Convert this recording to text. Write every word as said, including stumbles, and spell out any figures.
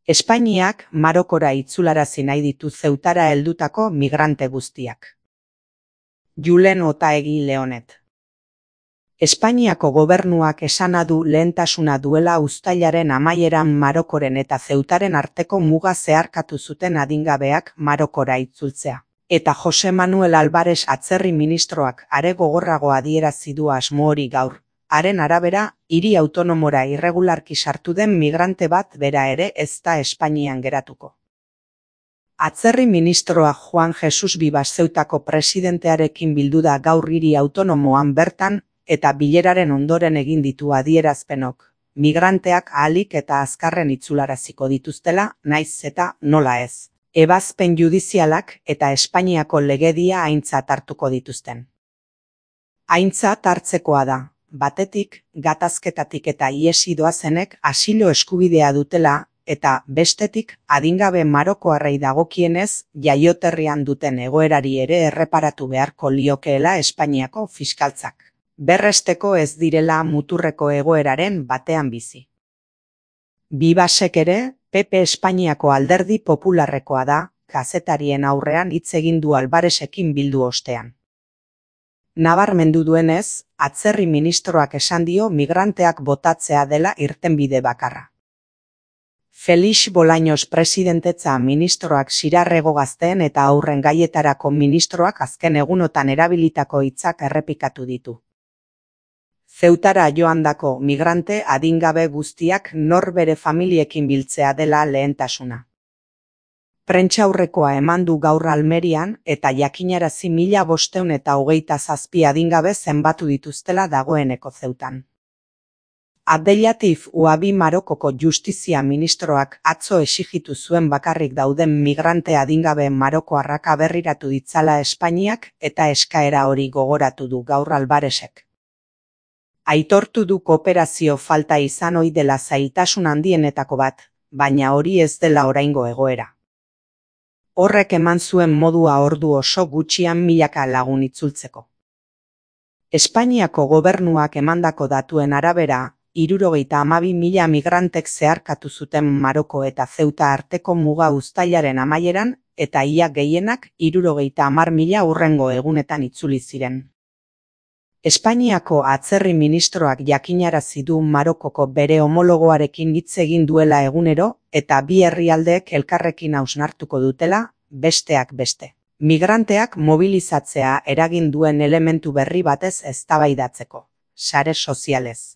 Espainiak Marokora itzularazi nahi ditu Zeutara heldutako migrante guztiak. Julen Otaegi Leonet. Espainiako gobernuak esana du lehentasuna duela uztailaren amaieran Marokoren eta Zeutaren arteko muga zeharkatu zuten adingabeak Marokora itzultzea. Eta Jose Manuel Albares atzerri ministroak are gogorrago adierazi du asmo hori gaur. Haren arabera, hiri autonomora irregularki sartu den migrante bat bera ere ez da Espainian geratuko. Atzerri ministroa Juan Jesus Vivas Zeutako presidentearekin bildu da gaur hiri autonomoan bertan, eta bileraren ondoren egin ditu adierazpenok, migranteak ahalik eta azkarren itzularaziko dituztela, naiz eta nola ez. Ebazpen judizialak eta Espainiako legedia aintzat hartuko dituzten. Aintzat hartzekoa da, batetik, gatazketatik eta ihesi doazenek asilo eskubidea dutela, eta bestetik, adingabe marokoarrei dagokienez, jaioterrian duten egoerari ere erreparatu beharko liokeela Espainiako fiskaltzak. Berresteko ez direla muturreko egoeraren batean bizi. Vivasek ere, P P Espainiako alderdi popularrekoa da, kazetarien aurrean hitz egin du Albaresekin bildu ostean. Nabarmendu duenez, atzerri ministroak esan dio migranteak botatzea dela irtenbide bakarra. Felix Bolaños presidentetza ministroak Sirarrego gazteen eta aurren gaietarako ministroak azken egunotan erabilitako hitzak errepikatu ditu. Zeutara joandako migrante adingabe guztiak nor bere familiekin biltzea dela lehentasuna. Prentsaurrekoa eman du gaur Almerian eta jakinarazi mila bostehun eta hogeita zazpi adingabe zenbatu dituztela dagoeneko Zeutan. Abdelatif Ouabi Marokoko justizia ministroak atzo exigitu zuen bakarrik dauden migrante adingabe marokoarrak aberriratu ditzala Espainiak eta eskaera hori gogoratu du gaur Albaresek. Aitortu du kooperazio falta izan ohi dela zailtasun handienetako bat, baina hori ez dela oraingo egoera. Horrek eman zuen modua ordu oso gutxian milaka lagun itzultzeko. Espainiako gobernuak emandako datuen arabera, hirurogeita hamabi mila migrantek zeharkatu zuten Maroko eta Zeuta arteko muga uztailaren amaieran, eta ia gehienak hirurogeita hamar mila hurrengo egunetan itzuli ziren. Espainiako atzerri ministroak jakinarazi du Marokoko bere homologoarekin hitz egin duela egunero eta bi herrialdeek elkarrekin hausnartuko dutela, besteak beste. Migranteak mobilizatzea eragin duen elementu berri batez eztabaidatzeko, sare sozialez.